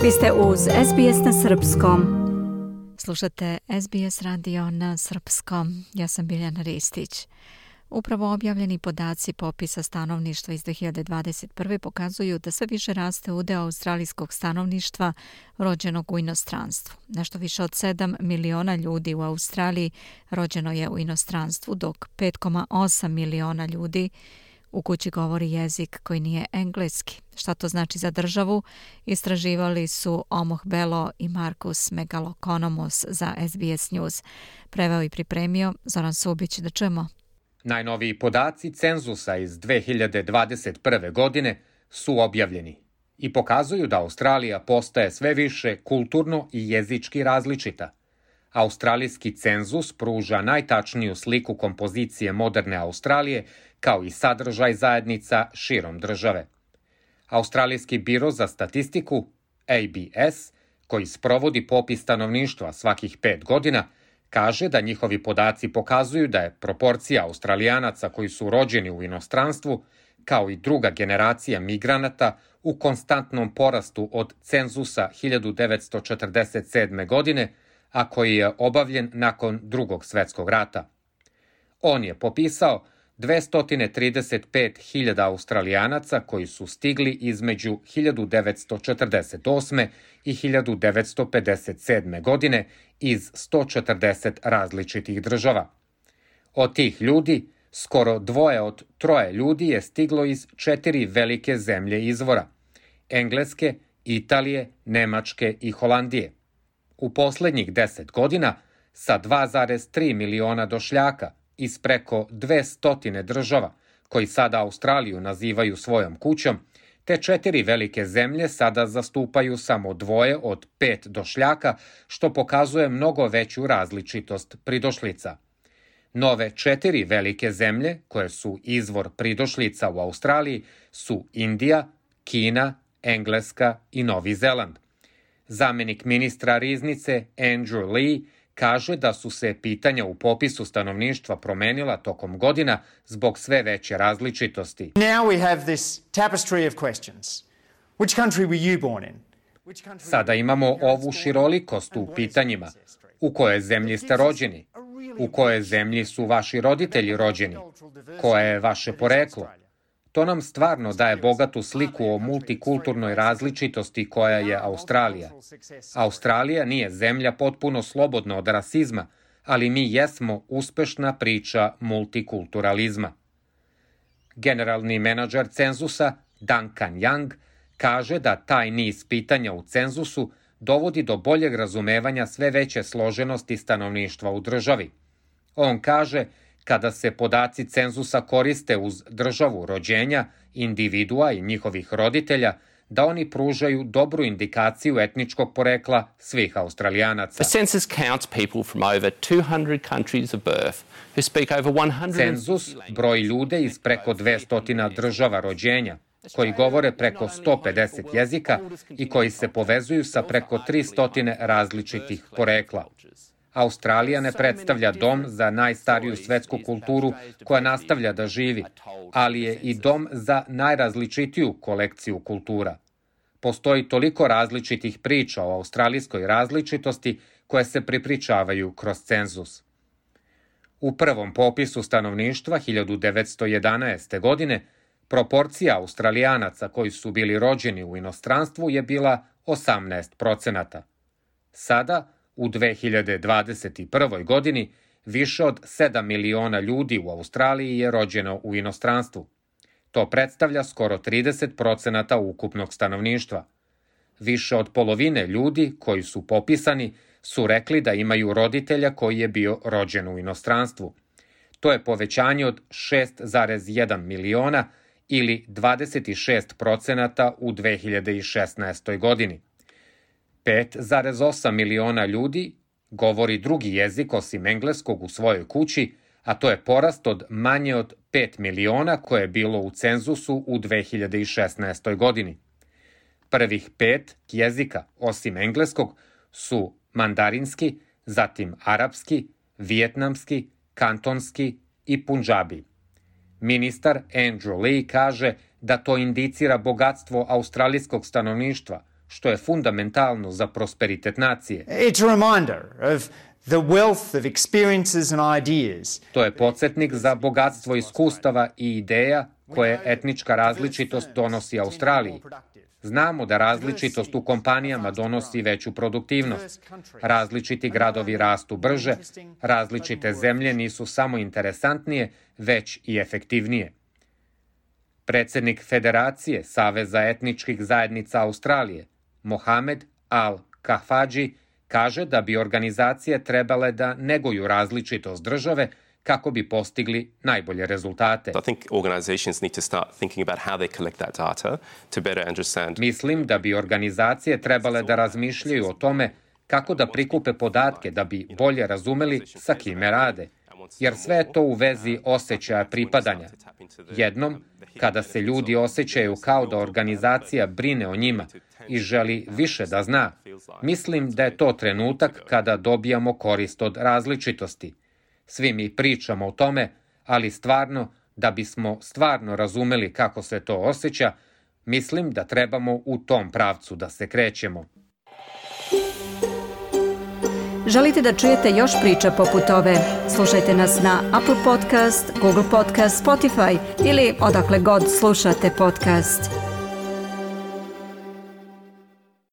Vi ste uz SBS na Srpskom. Slušate SBS radio na Srpskom. Ja sam Biljana Ristić. Upravo objavljeni podaci popisa stanovništva iz 2021. pokazuju da sve više raste udeo australijskog stanovništva rođenog u inostranstvu. Nešto više od 7 miliona ljudi u Australiji rođeno je u inostranstvu, dok 5,8 miliona ljudi u kući govori jezik koji nije engleski. Šta to znači za državu? Istraživali su Omoh Belo i Markus Megalokonomos za SBS News. Preveo i pripremio Zoran Subić. Da čujemo. Najnoviji podaci cenzusa iz 2021. godine su objavljeni i pokazuju da Australija postaje sve više kulturno i jezički različita. Australijski cenzus pruža najtačniju sliku kompozicije moderne Australije kao i sadržaj zajednica širom države. Australijski biro za statistiku, ABS, koji sprovodi popis stanovništva svakih 5 godina, kaže da njihovi podaci pokazuju da je proporcija Australijanaca koji su rođeni u inostranstvu, kao i druga generacija migranata, u konstantnom porastu od cenzusa 1947. godine, a koji je obavljen nakon Drugog svjetskog rata. On je popisao 235.000 Australijanaca koji su stigli između 1948. i 1957. godine iz 140 različitih država. Od tih ljudi, skoro 2 od 3 ljudi je stiglo iz 4 velike zemlje izvora: Engleske, Italije, Nemačke i Holandije. U posljednjih 10 godina sa 2,3 miliona došljaka iz preko 200 država, koji sada Australiju nazivaju svojom kućom, te 4 velike zemlje sada zastupaju samo 2 od 5 došljaka, što pokazuje mnogo veću različitost pridošlica. Nove 4 velike zemlje, koje su izvor pridošlica u Australiji, su Indija, Kina, Engleska i Novi Zeland. Zamjenik ministra riznice Andrew Lee kaže da su se pitanja u popisu stanovništva promenila tokom godina zbog sve veće različitosti. Sada imamo ovu širolikost u pitanjima. U kojoj zemlji ste rođeni? U kojoj zemlji su vaši roditelji rođeni? Koje je vaše poreklo? To nam stvarno daje bogatu sliku o multikulturnoj različitosti koja je Australija. Australija nije zemlja potpuno slobodna od rasizma, ali mi jesmo uspešna priča multikulturalizma. Generalni menadžer cenzusa Duncan Young kaže da taj niz pitanja u cenzusu dovodi do boljeg razumevanja sve veće složenosti stanovništva u državi. On kaže: kada se podaci cenzusa koriste uz državu rođenja, individua i njihovih roditelja, da oni pružaju dobru indikaciju etničkog porekla svih Australijanaca. Cenzus broji ljude iz preko 200 država rođenja, koji govore preko 150 jezika i koji se povezuju sa preko 300 različitih porekla. Australija ne predstavlja dom za najstariju svetsku kulturu koja nastavlja da živi, ali je i dom za najrazličitiju kolekciju kultura. Postoji toliko različitih priča o australijskoj različitosti koje se prepričavaju kroz cenzus. U prvom popisu stanovništva 1911. godine proporcija Australijanaca koji su bili rođeni u inostranstvu je bila 18%. Sada, u 2021. godini, više od 7 miliona ljudi u Australiji je rođeno u inostranstvu. To predstavlja skoro 30% ukupnog stanovništva. Više od polovine ljudi koji su popisani su rekli da imaju roditelja koji je bio rođen u inostranstvu. To je povećanje od 6,1 miliona ili 26% u 2016. godini. 5,8 miliona ljudi govori drugi jezik osim engleskog u svojoj kući, a to je porast od manje od 5 miliona koje je bilo u cenzusu u 2016. godini. Prvih 5 jezika osim engleskog su mandarinski, zatim arapski, vijetnamski, kantonski i punđabi. Ministar Andrew Lee kaže da to indicira bogatstvo australijskog stanovništva, što je fundamentalno za prosperitet nacije. It's a reminder of the wealth of experiences and ideas. To je podsjetnik za bogatstvo iskustava i ideja koje etnička različitost donosi Australiji. Znamo da različitost u kompanijama donosi veću produktivnost. Različiti gradovi rastu brže, različite zemlje nisu samo interesantnije, već i efektivnije. Predsjednik Federacije Saveza etničkih zajednica Australije, Mohamed Al-Kahfaji, kaže da bi organizacije trebale da neguju različitost države kako bi postigli najbolje rezultate. Mislim da bi organizacije trebale da razmišljaju o tome kako da prikupe podatke da bi bolje razumeli sa kime rade, jer sve je to u vezi osjećaja pripadanja. Jednom, kada se ljudi osjećaju kao da organizacija brine o njima i želi više da zna, mislim da je to trenutak kada dobijamo korist od različitosti. Svi mi pričamo o tome, ali stvarno, da bismo stvarno razumeli kako se to osjeća, mislim da trebamo u tom pravcu da se krećemo. Želite da čujete još priča poput ove? Slušajte nas na Apple Podcast, Google Podcast, Spotify ili odakle god slušate podcast.